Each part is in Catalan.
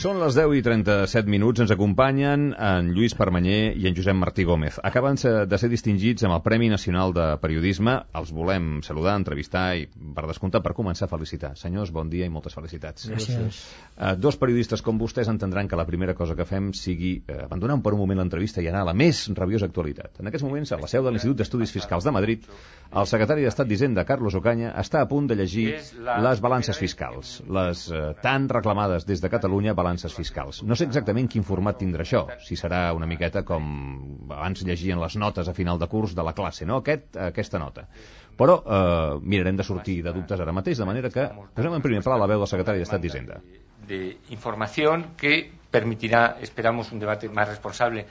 Són les 10:37, ens acompanyen en Lluís Permanyer i en Josep Martí Gómez. Acaben de ser distingits amb el Premi Nacional de Periodisme. Els volem saludar, entrevistar i, per descomptat, per començar, felicitar. Senyors, bon dia i moltes felicitats. Gràcies. Dos periodistes com vostès entendran que la primera cosa que fem sigui abandonar per un moment l'entrevista i anar a la més rabiosa actualitat. En aquests moments, a la seu de l'Institut d'Estudis Fiscals de Madrid, el secretari d'Estat d'Hisenda, Carlos Ocaña, està a punt de llegir les balances fiscals, les tan reclamades des de Catalunya balances fiscals. No sé exactament quin format tindrà això, si serà una miqueta com abans llegien les notes a final de curs de la classe, no? Aquesta nota. Però mirarem de sortir de dubtes ara mateix, de manera que posem en primer pla la veu del secretari d'Estat d'Hisenda. De información que permitirá, esperamos, un debate más responsable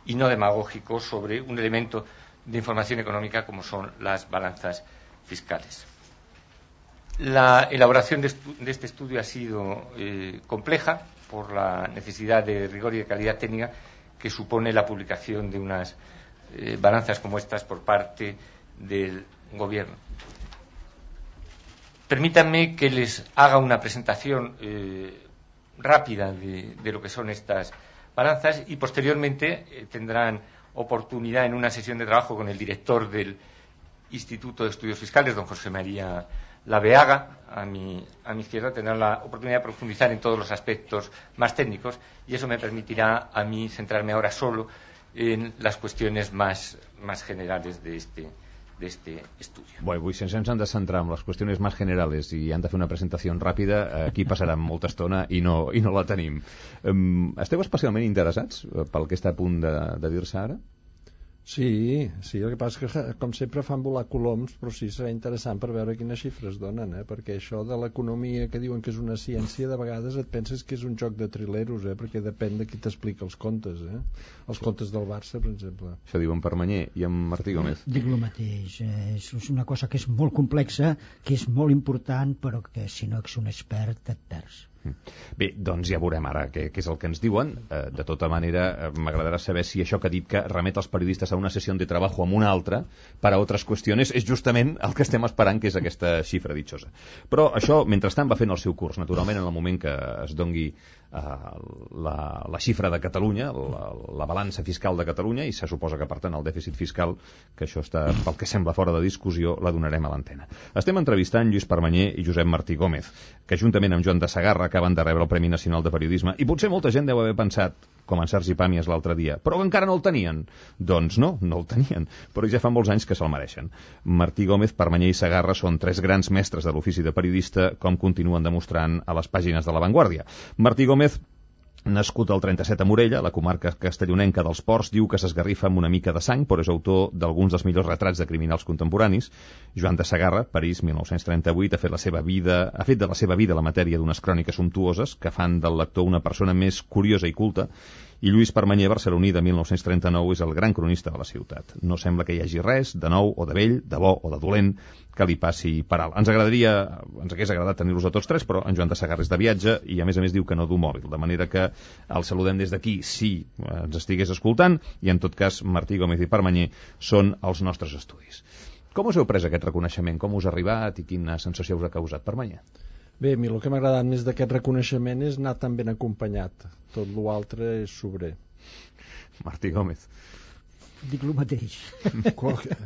y no demagógico sobre un elemento de información económica como son las balanzas fiscales. La elaboración de este estudio ha sido compleja por la necesidad de rigor y de calidad técnica que supone la publicación de unas balanzas como estas por parte del Gobierno. Permítanme que les haga una presentación rápida de lo que son estas balanzas y posteriormente tendrán oportunidad en una sesión de trabajo con el director del Instituto de Estudios Fiscales, don José María Laveaga, a mi izquierda, tendrán la oportunidad de profundizar en todos los aspectos más técnicos y eso me permitirá a mí centrarme ahora solo en las cuestiones más generales de este estudio. Bueno, avui, si ens hem de centrar en les qüestions més generals i han de fer una presentació ràpida, aquí passarà molta estona i no la tenim. Esteu especialment interessats pel que està a punt de dir-se ara? Sí, el que passa és que, com sempre, fan volar coloms, però sí, serà interessant per veure quines xifres donen, perquè això de l'economia que diuen que és una ciència, de vegades et penses que és un joc de trileros, perquè depèn de qui t'explica els contes, els contes del Barça, per exemple. Això diuen Permanyer i en Martí Gómez. Dic el mateix, és una cosa que és molt complexa, que és molt important, però que si no ets un expert et perds. Bé, doncs ja veurem ara què és el que ens diuen. De tota manera, m'agradarà saber si això que ha dit que remet els periodistes a una sessió de treball amb una altra per a altres qüestions és justament el que estem esperant, que és aquesta xifra ditxosa. Però això, mentrestant, va fent el seu curs. Naturalment, en el moment que es dongui la xifra de Catalunya, la balança fiscal de Catalunya, i se suposa que, per tant, el dèficit fiscal, que això està, pel que sembla, fora de discussió, la donarem a l'antena. Estem entrevistant Lluís Permanyer i Josep Martí Gómez, que juntament amb Joan de Segarra acaben de rebre el Premi Nacional de Periodisme, i potser molta gent deu haver pensat, com en Sergi Pàmies l'altre dia, però encara no el tenien. Doncs no el tenien, però ja fa molts anys que se'l mereixen. Martí Gómez, Permanyer i Segarra són tres grans mestres de l'ofici de periodista, com continuen demostrant a les pàgines de La Vanguardia. Martí Gómez, nascut al 37 a Morella, la comarca castellonenca dels Ports, diu que s'esgarrifa amb una mica de sang, però és autor d'alguns dels millors retrats de criminals contemporanis. Joan de Segarra, París, 1938, ha fet de la seva vida la matèria d'unes cròniques sumptuoses que fan del lector una persona més curiosa i culta. I Lluís Permanyer, barceloní de 1939, és el gran cronista de la ciutat. No sembla que hi hagi res de nou o de vell, de bo o de dolent, que li passi per alt. Ens hagués agradat tenir-los a tots tres, però en Joan de Segarra és de viatge i a més diu que no du mòbil, de manera que el saludem des d'aquí si ens estigués escoltant, i en tot cas Martí Gómez i Permanyer són els nostres estudis. Com us heu pres aquest reconeixement? Com us ha arribat i quina sensació us ha causat, Permanyer? Bé, a mi el que m'ha agradat més d'aquest reconeixement és anar tan ben acompanyat. Tot l'altre és sobrer. Martí Gómez. Dic el mateix.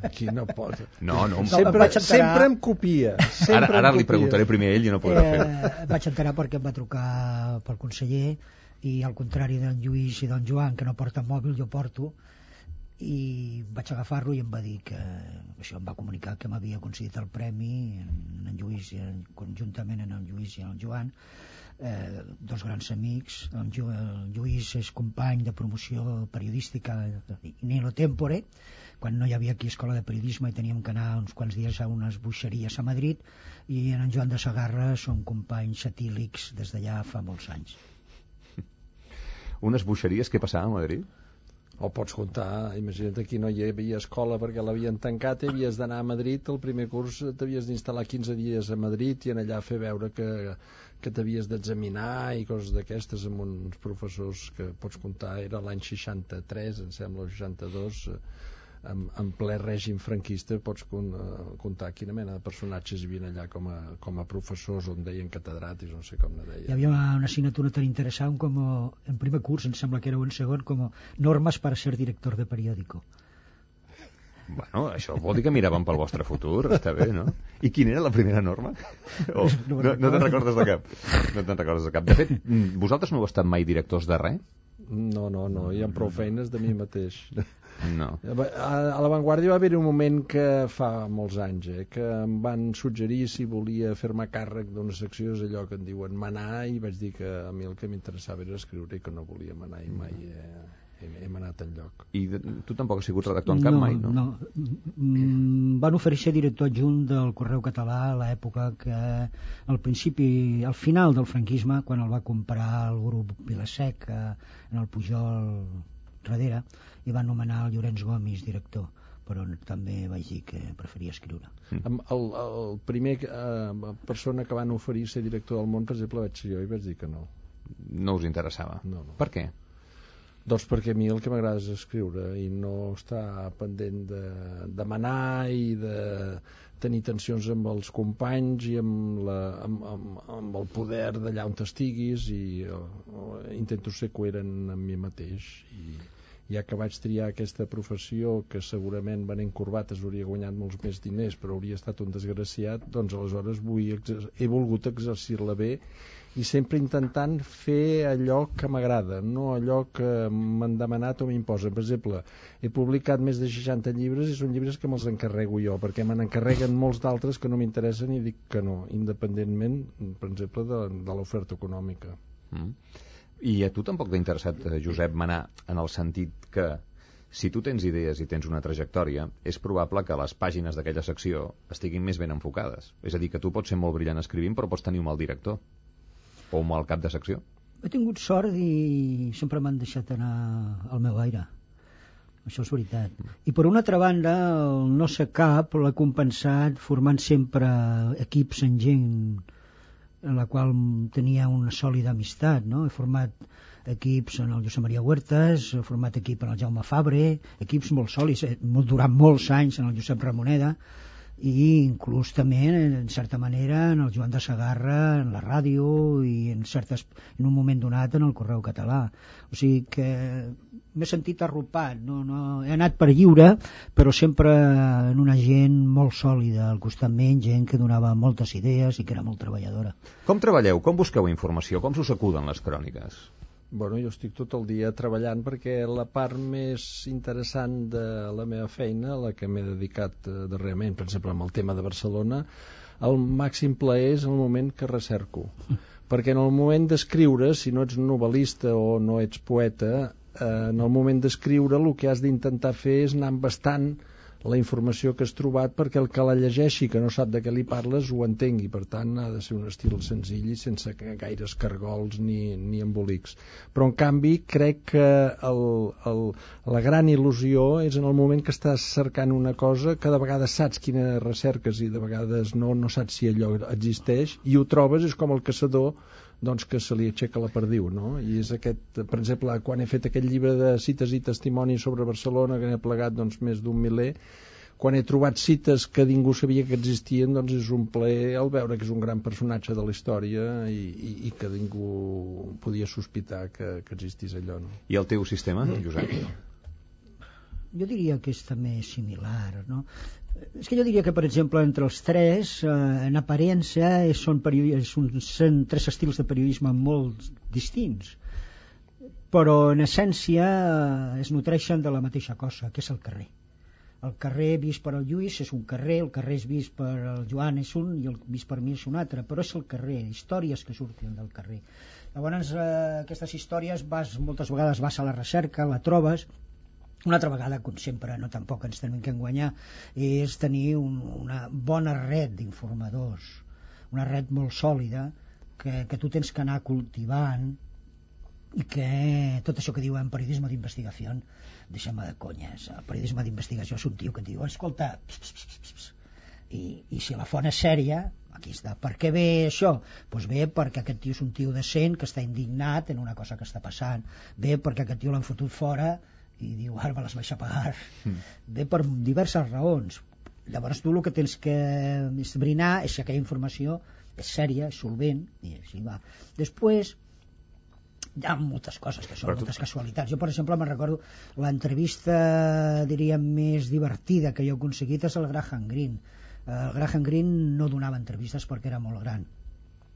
Aquí no pot. No. Sempre em copia. Ara li preguntaré primer a ell i no podrà fer-ho. Vaig enterar perquè em va trucar pel conseller i al contrari d'en Lluís i d'en Joan, que no porten mòbil, jo porto, i vaig agafar-lo i em va dir que això, em va comunicar que m'havia concedit el premi en Lluís, conjuntament en en Lluís i en Joan, dos grans amics. El Lluís és company de promoció periodística in illo tempore, quan no hi havia aquí escola de periodisme i teníem que anar uns quants dies a unes boixeries a Madrid, i en Joan de Segarra són companys satílics des d'allà fa molts anys. Unes boixeries que passaven a Madrid? O pots comptar, imagina't, aquí no hi havia escola perquè l'havien tancat i havies d'anar a Madrid, el primer curs t'havies d'instal·lar 15 dies a Madrid i en allà fer veure que t'havies d'examinar i coses d'aquestes amb uns professors que pots comptar, era l'any 63, em sembla, o 62, en ple règim franquista pots comptar quina mena de personatges hi havia allà com a professors, on deien catedràtics, no sé com ne deien. Hi havia una assignatura tan interessant com en primer curs, em sembla que era en segon, com normes para ser director de periódico. Bueno, això vol dir que miràvem pel vostre futur, està bé, no? I quina era la primera norma? No te'n recordes de cap? No te'n recordes de cap. De fet, vosaltres no heu estat mai directors de res? No, hi ha prou feines de mi mateix. No. A l'Avantguàrdia va haver un moment que fa molts anys, que em van suggerir si volia fer-me càrrec d'una secció, és allò que en diuen manar, i vaig dir que a mi el que m'interessava era escriure i que no volia manar, i mai hem anat enlloc. I tu tampoc has sigut redactor en cap mai, no? No. Van oferir ser director adjunt del Correu Català a l'època que al final del franquisme, quan el va comprar el grup Vilasec en el Pujol darrere, i van nomenar el Llorenç Gomis director, però també vaig dir que preferia escriure. El primer persona que van oferir ser director del Món, per exemple, vaig ser jo, i vaig dir que no. No us interessava? No. Per què? Doncs perquè a mi el que m'agrada és escriure i no estar pendent de demanar i de tenir tensions amb els companys i amb el poder d'allà on estiguis, i intento ser coherent amb mi mateix, i ja que vaig triar aquesta professió que segurament venent corbates hauria guanyat molts més diners però hauria estat un desgraciat, doncs aleshores he volgut exercir-la bé i sempre intentant fer allò que m'agrada, no allò que m'han demanat o m'imposen. Per exemple, he publicat més de 60 llibres i són llibres que me'ls encarrego jo, perquè me n'encarreguen molts d'altres que no m'interessen i dic que no, independentment, per exemple, de l'oferta econòmica. I a tu tampoc t'ha interessat, Josep, manar, en el sentit que si tu tens idees i tens una trajectòria, és probable que les pàgines d'aquella secció estiguin més ben enfocades. És a dir, que tu pots ser molt brillant escrivint però pots tenir un mal director o un mal cap de secció. He tingut sort i sempre m'han deixat anar al meu aire. Això és veritat. I per una altra banda, el no ser cap l'ha compensat formant sempre equips en gent en la qual tenia una sòlida amistat, no? He format equips en el Josep Maria Huertas, he format equip en el Jaume Fabre, equips molt sòlids, durant molts anys en el Josep Ramoneda, i inclús també, en certa manera, en el Joan de Segarra, en la ràdio i en un moment donat en el Correu Català. O sigui que m'he sentit arropat, no, he anat per lliure, però sempre en una gent molt sòlida, al costat menys, gent que donava moltes idees i que era molt treballadora. Com treballeu? Com busqueu informació? Com s'us acuden les cròniques? Bueno, jo estic tot el dia treballant perquè la part més interessant de la meva feina, la que m'he dedicat darrerament, per exemple, amb el tema de Barcelona, el màxim plaer és el moment que recerco. Perquè en el moment d'escriure, si no ets novel·lista o no ets poeta, en el moment d'escriure el que has d'intentar fer és anar embastant la informació que has trobat perquè el que la llegeixi, que no sap de què li parles, ho entengui. Per tant, ha de ser un estil senzill i sense gaires cargols ni embolics. Però, en canvi, crec que la gran il·lusió és en el moment que estàs cercant una cosa que de vegades saps quina recerques i de vegades no saps si allò existeix, i ho trobes, és com el caçador doncs que se li aixeca la perdiu, no? I és aquest, per exemple, quan he fet aquest llibre de cites i testimonis sobre Barcelona, que n'he plegat doncs més d'un miler, quan he trobat cites que ningú sabia que existien, doncs és un plaer al veure que és un gran personatge de la història i que ningú podia sospitar que existís allò, no? I el teu sistema, Josep? Jo diria que és també similar, no? És que jo diria que, per exemple, entre els tres, en aparença, són tres estils de periodisme molt distints, però en essència es nutreixen de la mateixa cosa, que és el carrer. El carrer vist per el Lluís és un carrer, el carrer vist per el Joan és un i el vist per mi és un altre, però és el carrer, històries que surten del carrer. Llavors, aquestes històries moltes vegades vas a la recerca, la trobes. Una altra vegada, com sempre, no tampoc ens tenim que enganyar, és tenir una bona red d'informadors, una red molt sòlida que tu tens que anar cultivant, i que tot això que diuen periodisme d'investigació, deixa'm de conyes, el periodisme d'investigació és un tio que et diu, escolta, i si la font és sèria, aquí està. Per què ve això? Doncs ve perquè aquest tio és un tio decent que està indignat en una cosa que està passant, ve perquè aquest tio l'han fotut fora i diu, ara me les vaig a pagar. Bé, per diverses raons. Llavors tu el que tens que esbrinar és si aquella informació és sèria, és solvent, i així va. Després hi ha moltes coses que són moltes casualitats. Jo, per exemple, me'n recordo l'entrevista, diríem, més divertida que jo he aconseguit és el Graham Greene. El Graham Greene no donava entrevistes perquè era molt gran.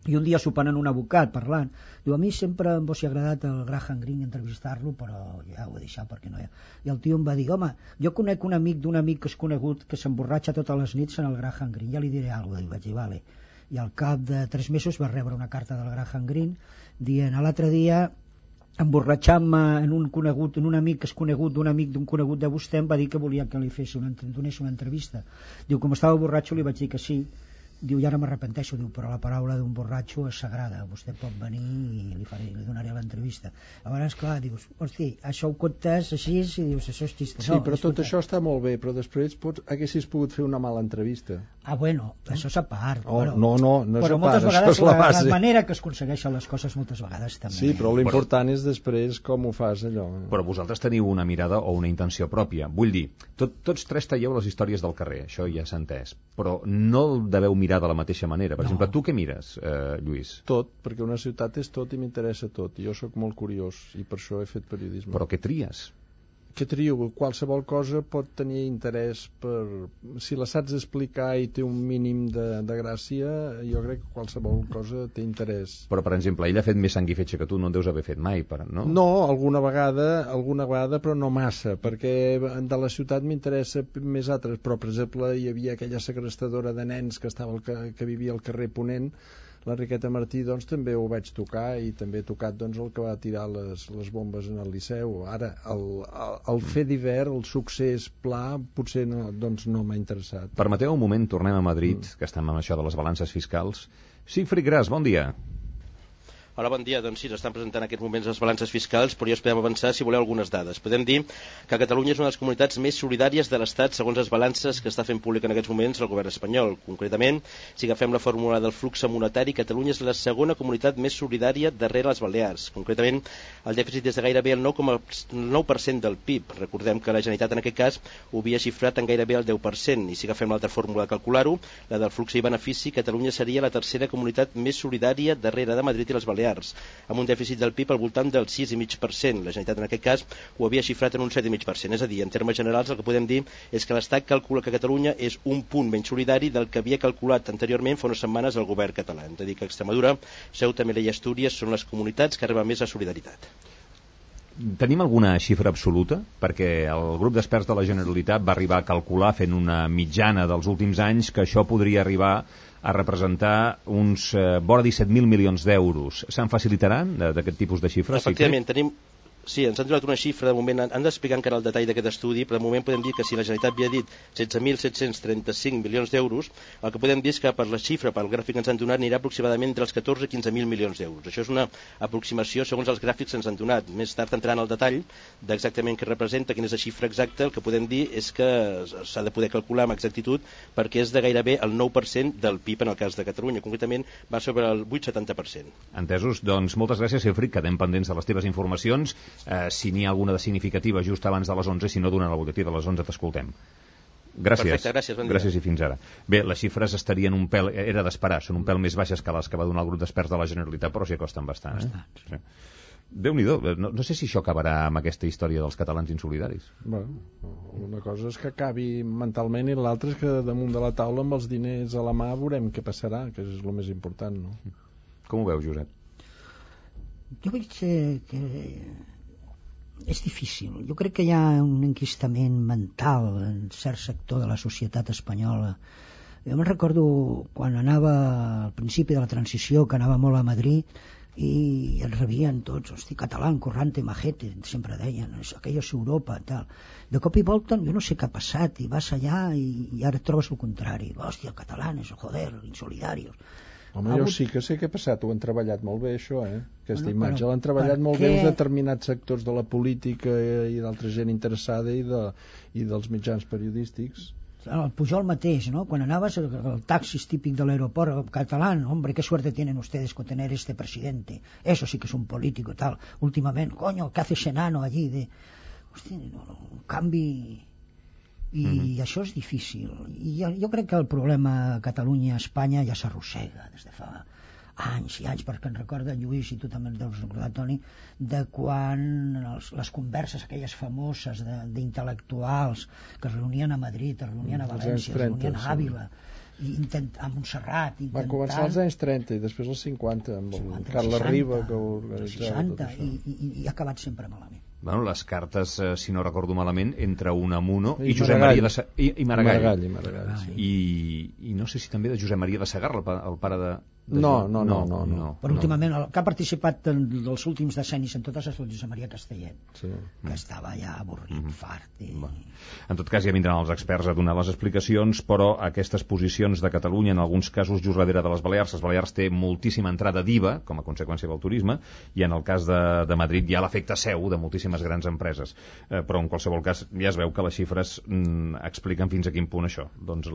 I un dia sopant en un abocat, parlant, diu, a mi sempre em hauria agradat el Graham Greene entrevistar-lo, però ja ho he deixat perquè no hi ha. I el tio em va dir, home, jo conec un amic d'un amic que és conegut que s'emborratxa totes les nits en el Graham Greene, ja li diré alguna cosa. I vaig dir, vale. I al cap de 3 mesos va rebre una carta del Graham Greene dient, l'altre dia emborratxant-me en un amic que és conegut d'un amic d'un conegut de vostè, em va dir que volia que li donés una entrevista. Diu, com estava borratxo li vaig dir que sí. Diu, i ara m'arrepenteixo, diu, però la paraula d'un borratxo és sagrada, vostè pot venir i li donaré l'entrevista. Llavors, clar, dius, hosti, això ho comptes així i dius, això és xiste. Sí, no, però tot això està molt bé, però després haguessis pogut fer una mala entrevista. Ah, bueno, això és a part. Oh, no és a part, però moltes vegades la manera que es aconsegueixen les coses moltes vegades també. Sí, però l'important és després com ho fas allò. Però vosaltres teniu una mirada o una intenció pròpia. Vull dir, tots tres talleu les històries del carrer, això ja s'ha entès, però no el deveu mirar de la mateixa manera. Per exemple, tu què mires, Lluís? Tot, perquè una ciutat és tot i m'interessa tot. Jo sóc molt curiós i per això he fet periodisme. Però què tries? Què trio? Qualsevol cosa pot tenir interès si la saps explicar i té un mínim de gràcia, jo crec que qualsevol cosa té interès. Però, per exemple, ell ha fet més sang i fetge que tu, no en deus haver fet mai, no? No, alguna vegada, però no massa, perquè de la ciutat m'interessa més altres, però, per exemple, hi havia aquella segrestadora de nens que vivia al carrer Ponent, l'Enriqueta Martí, doncs també ho vaig tocar i també he tocat doncs, el que va tirar les bombes en el Liceu. Ara, el fer d'hivern, el succés pla, potser no m'ha interessat. Permeteu un moment, tornem a Madrid, que estem amb això de les balances fiscals. Sigfrid Gras, bon dia. Hola, bon dia. Doncs sí, s'estan presentant en aquests moments les balances fiscals, però ja us podem avançar, si voleu, algunes dades. Podem dir que Catalunya és una de les comunitats més solidàries de l'Estat segons les balances que està fent públic en aquests moments el govern espanyol. Concretament, si agafem la fórmula del flux monetari, Catalunya és la segona comunitat més solidària darrere les Balears. Concretament, el dèficit és de gairebé el 9% del PIB. Recordem que la Generalitat en aquest cas ho havia xifrat en gairebé el 10%, i si agafem l'altra fórmula de calcular-ho, la del flux i benefici, Catalunya seria la tercera comunitat més solidària darrere de Madrid i les Balears, amb un dèficit del PIB al voltant del 6,5%. La Generalitat en aquest cas ho havia xifrat en un 7,5%. És a dir, en termes generals el que podem dir és que l'Estat calcula que Catalunya és un punt menys solidari del que havia calculat anteriorment fa unes setmanes el govern català. Hem de dir que Extremadura, Ceuta, Melilla i Astúries són les comunitats que arriben més a solidaritat. Tenim alguna xifra absoluta? Perquè el grup d'experts de la Generalitat va arribar a calcular, fent una mitjana dels últims anys, que això podria arribar a representar uns vora 17.000 milions d'euros. Se'n facilitaran d'aquest tipus de xifres? Efectivament, Sí, ens han donat una xifra, de moment han d'explicar encara el detall d'aquest estudi, però de moment podem dir que si la Generalitat havia dit 16.735 milions d'euros, el que podem dir és que per la xifra, pel gràfic que ens han donat, anirà aproximadament entre els 14 i 15.000 milions d'euros. Això és una aproximació segons els gràfics que ens han donat. Més tard entrant al detall d'exactament què representa, quina és la xifra exacta, el que podem dir és que s'ha de poder calcular amb exactitud perquè és de gairebé el 9% del PIB en el cas de Catalunya. Concretament va sobre el 8,70%. Entesos, doncs moltes gràcies, Sigfrid, quedem pendents de les teves informacions. Si n'hi ha alguna de significativa just abans de les 11, si no, durant el butlletí de les 11 t'escoltem. Gràcies. Perfecte, gràcies, bon dia. Gràcies i fins ara. Bé, les xifres estarien un pèl, era d'esperar, són un pèl més baixes que les que va donar el grup d'experts de la Generalitat, però s'hi acosten bastant. Sí. Déu-n'hi-do, no sé si això acabarà amb aquesta història dels catalans insolidaris. Bueno, una cosa és que acabi mentalment i l'altra és que damunt de la taula amb els diners a la mà veurem què passarà, que és el més important, no? Com ho veus, Josep? Jo veig que és difícil. Jo crec que hi ha un enquistament mental en cert sector de la societat espanyola. Jo me'n recordo quan anava al principi de la transició, que anava molt a Madrid i ens rebien tots, hosti, català, corrante, majete, sempre deien, aquella és Europa, tal. De cop i volta, jo no sé què ha passat, i vas allà i ara et trobes el contrari. Hòstia, catalanes, joder, insolidarios. Home, jo sí que sé què ha passat, ho han treballat molt bé, això, aquesta imatge. L'han treballat molt bé uns determinats sectors de la política i d'altra gent interessada i dels mitjans periodístics. El Pujol mateix, ¿no? Quan anaves al taxis típic de l'aeroport català, hombre, qué suerte tienen ustedes con tener este presidente. Eso sí que es un político, tal. Últimament, coño, ¿qué hace ese enano allí? hosti, un canvi, i això és difícil. I jo crec que el problema a Catalunya, a Espanya, ja s'arrossega des de fa anys i anys, perquè en recorda Lluís, i tu també en deus recordar, Toni, de quan les converses aquelles famoses d'intel·lectuals que es reunien a Madrid, es reunien a València, es reunien a Àvila, a Montserrat, van començar als anys 30 i després als 50 amb el Carles Riba, que ho organitzava tot això, i ha acabat sempre malament. Bueno, les cartes, si no recordo malament, entre Unamuno i Josep Maria i Maragall. I no sé si també de Josep Maria de Segarra, el pare de... No. Però últimament, el que ha participat dels últims decennis en totes les Josep Maria Castellet, que estava ja avorrit, fart. En tot cas, ja vindran els experts a donar les explicacions, però aquestes posicions de Catalunya, en alguns casos just darrere de les Balears té moltíssima entrada d'IVA, com a conseqüència del turisme, i en el cas de Madrid hi ha l'efecte seu de moltíssimes grans empreses. Però en qualsevol cas ja es veu que les xifres expliquen fins a quin punt això. Doncs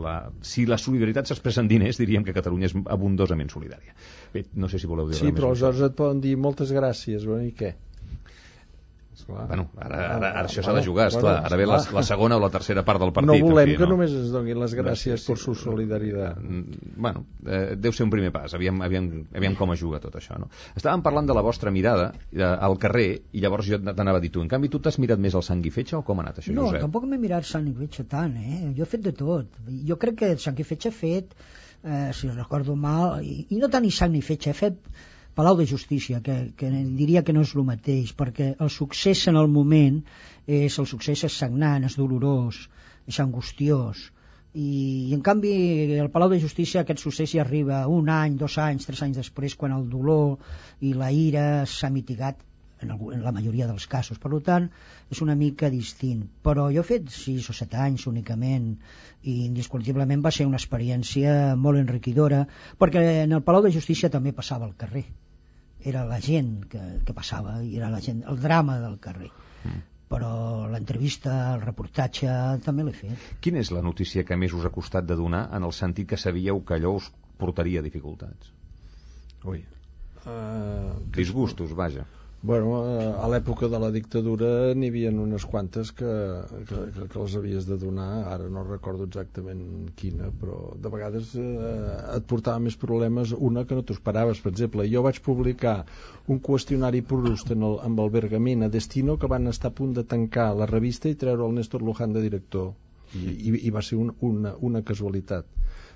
si la solidaritat s'expressa en diners, diríem que Catalunya és abundosament solidària. Bé, no sé si voleu dir res més. Sí, però aleshores et poden dir moltes gràcies, i què? Bueno, ara això s'ha de jugar, esclar. Ara ve la segona o la tercera part del partit. No volem que només ens donin les gràcies per su solidaritat. Bueno, deu ser un primer pas. Aviam com es juga tot això, no? Estàvem parlant de la vostra mirada al carrer i llavors jo t'anava a dir tu. En canvi, tu t'has mirat més el sang i fetge o com ha anat això, Josep? No, tampoc m'he mirat sang i fetge tant, Jo he fet de tot. Jo crec que sang i fetge he fet, si recordo mal, i no tant ni sang ni fetge, he fet Palau de Justícia, que diria que no és el mateix, perquè el succés en el moment el succés és sagnant, és dolorós, és angustiós, i en canvi el Palau de Justícia aquest succés hi arriba 1 any, 2 anys, 3 anys després, quan el dolor i la ira s'ha mitigat en la majoria dels casos. Per tant, és una mica distint. Però jo he fet 6 o 7 anys únicament i indiscutiblement va ser una experiència molt enriquidora, perquè en el Palau de Justícia també passava al carrer. Era la gent que passava, i era la gent, el drama del carrer. Però l'entrevista, el reportatge, també l'he fet. Quina és la notícia que més us ha costat de donar, en el sentit que sabíeu que allò us portaria dificultats? Disgustos, vaja. Bueno, a l'època de la dictadura n'hi havia unes quantes que les havies de donar, ara no recordo exactament quina, però de vegades et portava més problemes una que no t'ho esperaves. Per exemple, jo vaig publicar un qüestionari Proust amb el Bergamín a Destino, que van estar a punt de tancar la revista i treure el Néstor Luján de director, i va ser una casualitat.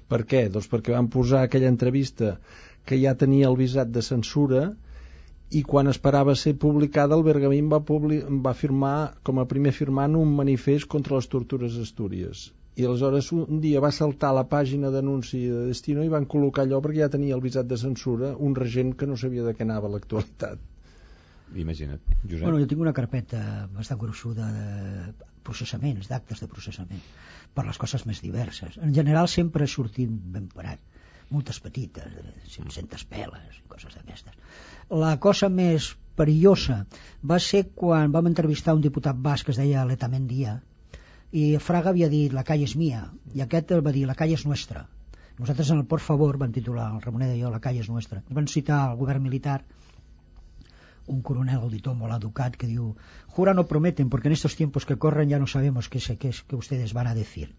Per què? Doncs perquè van posar aquella entrevista que ja tenia el visat de censura, i quan esperava ser publicada el Bergamín va firmar com a primer firmant un manifest contra les tortures a Astúries, i aleshores un dia va saltar la pàgina d'anunci de Destino i van col·locar allò perquè ja tenia el visat de censura un regent que no sabia de què anava l'actualitat. Imagina't, Josep. Bueno, jo tinc una carpeta bastant gruixuda de processaments, d'actes de processament, per les coses més diverses. En general sempre he sortit ben parat, moltes petites, 500 peles i coses d'aquestes. La cosa més perillosa va ser quan vam entrevistar un diputat basc que es deia Letamendia, i Fraga havia dit la calle és mia, i aquest va dir la calle és nuestra. Nosaltres en el Por Favor vam titular, el Ramonet i jo, la calle és nuestra. I van citar al govern militar un coronel auditor molt educat que diu: jura no prometen porque en estos tiempos que corren ya no sabemos qué es que ustedes van a decir.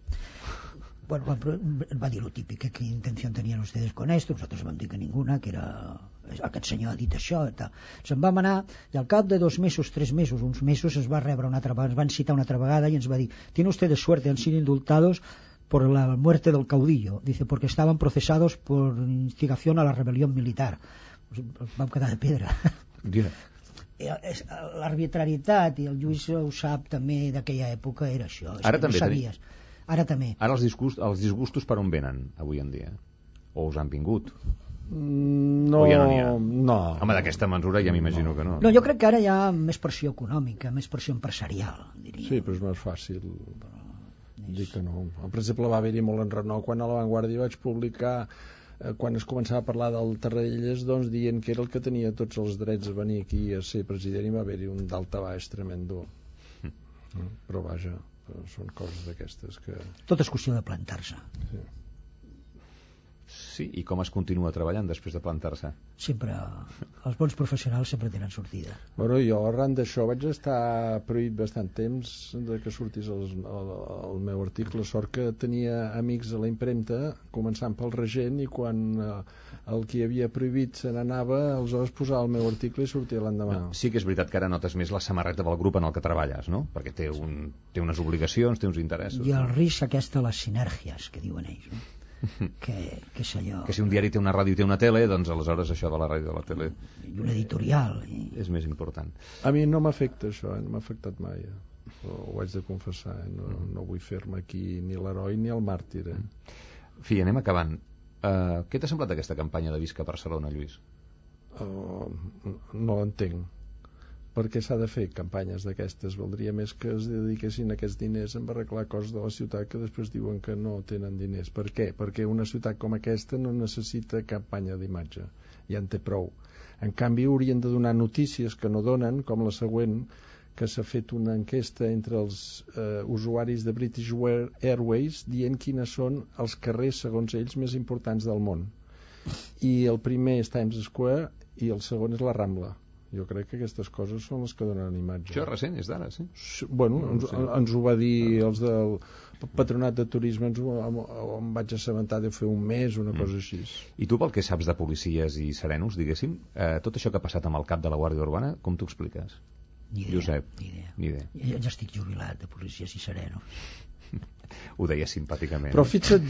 Bueno, va dir lo típic, qué intención tenían ustedes con esto. Nosotros vam dir que ninguna, que era aquest senyor ha dit això i tal. Se'n vam anar i al cap de 2 mesos, 3 mesos, uns mesos es va rebre una altra vegada, ens van citar una altra vegada i ens va dir: tiene ustedes suerte, han sido indultados por la muerte del caudillo, dice, porque estaban procesados por instigación a la rebelión militar. Vam quedar de pedra. L'arbitrarietat, i el Lluís ho sap també, d'aquella època era això. Ara també no sabies. Ara també. Ara els disgustos per on venen avui en dia? O us han vingut? No, o ja no n'hi ha? No. Home, d'aquesta mesura ja m'imagino que no. No, jo crec que ara hi ha més pressió econòmica, més pressió empresarial, diria. Sí, però és més fàcil dir que no. Per exemple, va haver-hi molt enrenou quan a La Vanguardia vaig publicar, quan es començava a parlar del Tarradellas, doncs dient que era el que tenia tots els drets a venir aquí a ser president, i va haver-hi un daltabaix tremendo. Però vaja, són coses d'aquestes que... Tot és qüestió de plantar-se. Sí, i com es continua treballant després de plantar-se? Sempre, els bons professionals sempre tenen sortida. Bueno, jo arran d'això vaig estar prohibit bastant temps de que sortís el meu article. Sort que tenia amics a la impremta, començant pel regent, i quan el que havia prohibit se n'anava, aleshores posava el meu article i sortia l'endemà. Sí que és veritat que ara notes més la samarreta del grup en el que treballes, no? Perquè té unes obligacions, té uns interessos. I el risc aquesta, les sinergies que diuen ells, no? que és allò... Que si un diari té una ràdio i té una tele, doncs aleshores això de la ràdio i de la tele... I un editorial. És més important. A mi no m'afecta això, no m'ha afectat mai. Ho haig de confessar, no vull fer-me aquí ni l'heroi ni el màrtir. Fi, anem acabant. Què t'ha semblat aquesta campanya de Visca Barcelona, Lluís? No l'entenc. Per què s'ha de fer campanyes d'aquestes? Valdria més que es dediquessin aquests diners a arreglar coses de la ciutat que després diuen que no tenen diners. Per què? Perquè una ciutat com aquesta no necessita campanya d'imatge. Ja en té prou. En canvi, haurien de donar notícies que no donen, com la següent, que s'ha fet una enquesta entre els usuaris de British Airways dient quines són els carrers, segons ells, més importants del món. I el primer és Times Square i el segon és la Rambla. Jo crec que aquestes coses són les que donen imatge. Això és recent, és d'ara, sí? Bueno, ens ho va dir els del Patronat de Turisme, em vaig assabentar de fer un mes, una cosa així. I tu, pel que saps de policies i serenos, diguéssim, tot això que ha passat amb el cap de la Guàrdia Urbana, com t'ho expliques? Ni idea, Josep, ni idea. Ja estic jubilat de policies i serenos. Ho deia simpàticament. Però fixa't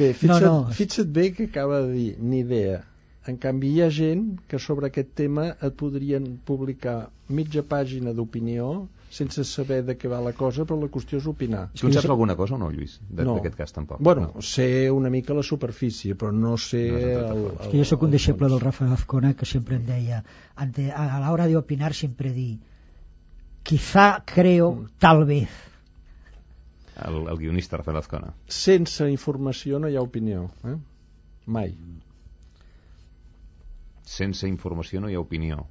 bé que acaba de dir, ni idea. En canvi, hi ha gent que sobre aquest tema et podrien publicar mitja pàgina d'opinió sense saber de què va la cosa, però la qüestió és opinar. Tu en saps alguna cosa o no, Lluís? D'aquest cas tampoc. Bueno, sé una mica la superfície, però no sé... És que jo sóc un deixeble del Rafael Azcona, que sempre em deia, a l'hora de opinar sempre di, quizá, creo, tal vez. El guionista Rafael Azcona. Sense informació no hi ha opinió, mai. Sense informació no hi ha opinió.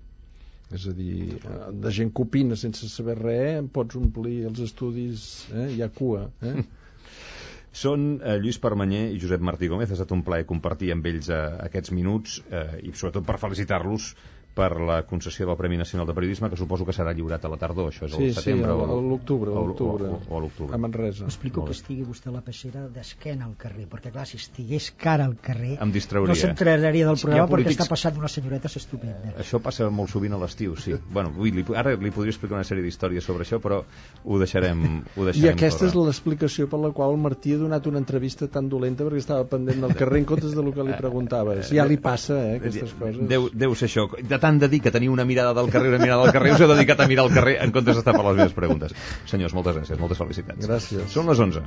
És a dir, de gent que opina sense saber res, en pots omplir els estudis, hi ha cua. Són Lluís Permanyer i Josep Martí Gómez. Ha estat un plaer compartir amb ells aquests minuts i sobretot per felicitar-los per la concessió del Premi Nacional de Periodisme, que suposo que serà lliurat a la tardor, això és el setembre o a l'octubre o a l'octubre a Manresa. Explico que estigui vostè a la peixera d'esquena al carrer, perquè clar, si estigués cara al carrer em distrauria. No s'enteraria del programa perquè està passant unes senyoretes estupendes. Això passa molt sovint a l'estiu, sí. Bueno, ara li podria explicar una sèrie d'històries sobre això, però ho deixarem I aquesta és l'explicació per la qual el Martí ha donat una entrevista tan dolenta, perquè estava pendent del carrer en comptes del que li preguntaves. Ja li passa, aquestes coses. Deu ser això. De tant de dir que tenia una mirada del carrer, us heu dedicat a mirar el carrer en comptes d'estar per les meves preguntes. Senyors, moltes gràcies, moltes felicitats. Gràcies. Són les 11.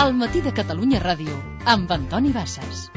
El matí de Catalunya Ràdio amb Antoni Bassas.